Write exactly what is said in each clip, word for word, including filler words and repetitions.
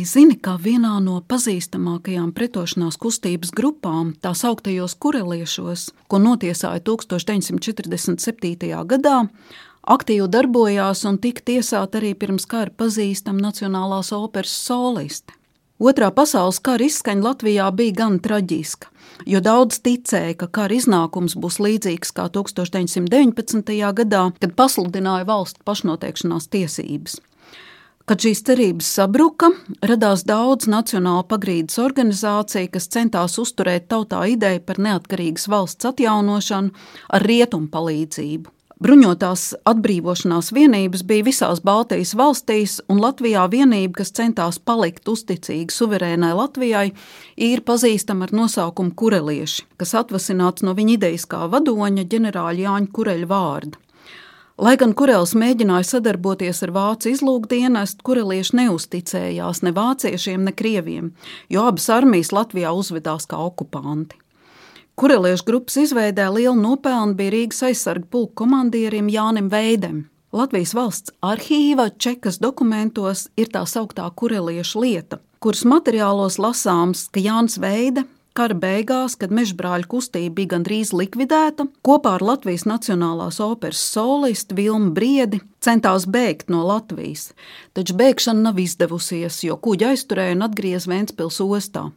zini, ka vienā no pazīstamākajām pretošanās kustības grupām, tā sauktajos kureliešos, ko notiesāja tūkstoš deviņsimt četrdesmit septītajā gadā, aktīvi darbojās un tika tiesāta arī pirms kara pazīstama Nacionālās operas soliste. Otrā pasaules kara izskaņa Latvijā bija gan traģiska, jo daudz ticēja, ka kara iznākums būs līdzīgs kā tūkstoš deviņsimt deviņpadsmitajā gadā, kad pasludināja valstu pašnoteikšanās tiesības. Kad šīs cerības sabruka, radās daudz nacionāla pagrīdes organizācija, kas centās uzturēt tautā ideju par neatkarīgas valsts atjaunošanu ar rietumu palīdzību. Bruņotās atbrīvošanās vienības bija visās Baltijas valstīs, un Latvijā vienība, kas centās palikt uzticīga suverēnai Latvijai, ir pazīstama ar nosaukumu kurelieši, kas atvasināts no viņa ideiskā vadoņa ģenerāļa Jāņa Kureļa vārda. Lai gan Kurelis mēģināja sadarboties ar vācu izlūkdienestu, kurelieši neuzticējās ne vāciešiem, ne krieviem, jo abas armijas Latvijā uzvedās kā okupanti. Kureliešu grupas izveidē lielu nopelnu bija Rīgas aizsarga pulka komandierim Jānim Veidem. Latvijas valsts arhīva čekas dokumentos ir tā sauktā kureliešu lieta, kuras materiālos lasāms, ka Jānis Veide kara beigās, kad mežbrāļu kustība bija gandrīz likvidēta, kopā ar Latvijas Nacionālās operas solistu Vilmu Briedi centās bēgt no Latvijas, taču bēgšana nav izdevusies, jo kuģi aizturēja un atgriez Ventspils ostā.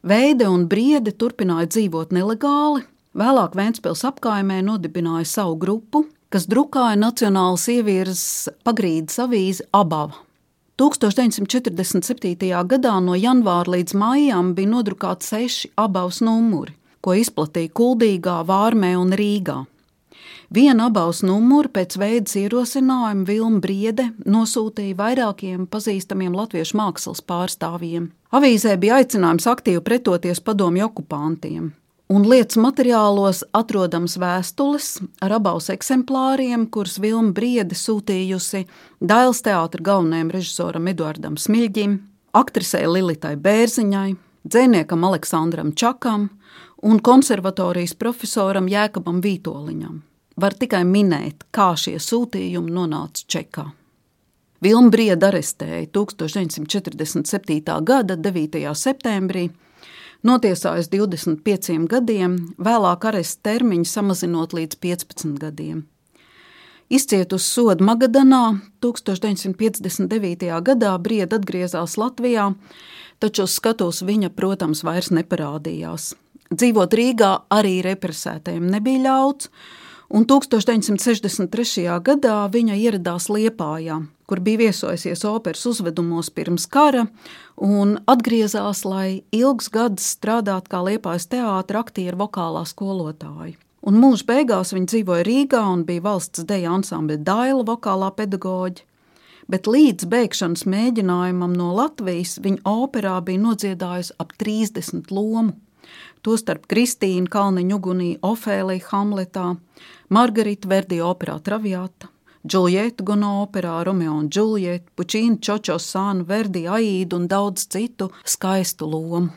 Veide un Briedi turpināja dzīvot nelegāli, vēlāk Ventspils apkaimē nodibināja savu grupu, kas drukāja Nacionālas ievirzes pagrīdes avīzi Abava. tūkstoš deviņsimt četrdesmit septītajā gadā no janvāra līdz maijām bija nodrukāti seši Abavas numuri, ko izplatīja Kuldīgā, Vārmē un Rīgā. Vienu Abavas numuru pēc Veides ierosinājuma Vilma Briede nosūtīja vairākiem pazīstamiem latviešu mākslas pārstāvjiem. Avīzē bija aicinājums aktīvi pretoties padomju okupantiem. Un lietas materiālos atrodams vēstules ar Abavas eksemplāriem, kuras Vilma Briede sūtījusi Dailes teātra galvenajam režisoram Eduardam Smiļģim, aktrisei Lilitai Bērziņai, dzejniekam Aleksandram Čakam un konservatorijas profesoram Jēkabam Vītoliņam. Var tikai minēt, kā šie sūtījumi nonāca Čekā. Vilma Briede arestēja tūkstoš deviņsimt četrdesmit septītā gada devītajā septembrī, notiesājas divdesmit pieciem gadiem, vēlāk aresta termiņu samazinot līdz piecpadsmit gadiem. Izcietusi sodu Magadanā, tūkstoš deviņsimt piecdesmit devītajā gadā Briede atgriezās Latvijā, taču uz skatuves viņa, protams, vairs neparādījās. Dzīvot Rīgā arī represētajiem nebija ļauts, un tūkstoš deviņsimt sešdesmit trešajā gadā viņa ieradās Liepājā, kur bija viesojusies operas uzvedumos pirms kara, un atgriezās, lai ilgus gadus strādātu kā Liepājas teātra aktieru vokālā skolotāja. Un mūža beigās viņa dzīvoja Rīgā un bija valsts deju ansambļa Daila vokālā pedagoģe, bet līdz bēgšanas mēģinājumam no Latvijas viņa operā bija nodziedājusi ap trīsdesmit lomu. Tostarp Kristīna Kalniņa ugunī Ofēlija Hamletā, Margarita Verdi operā Traviata, Džuljeta Gono operā Romeo un Džuljeta, Pučīna Čočo Sānu, Verdi Aīdu un daudz citu skaistu lomu.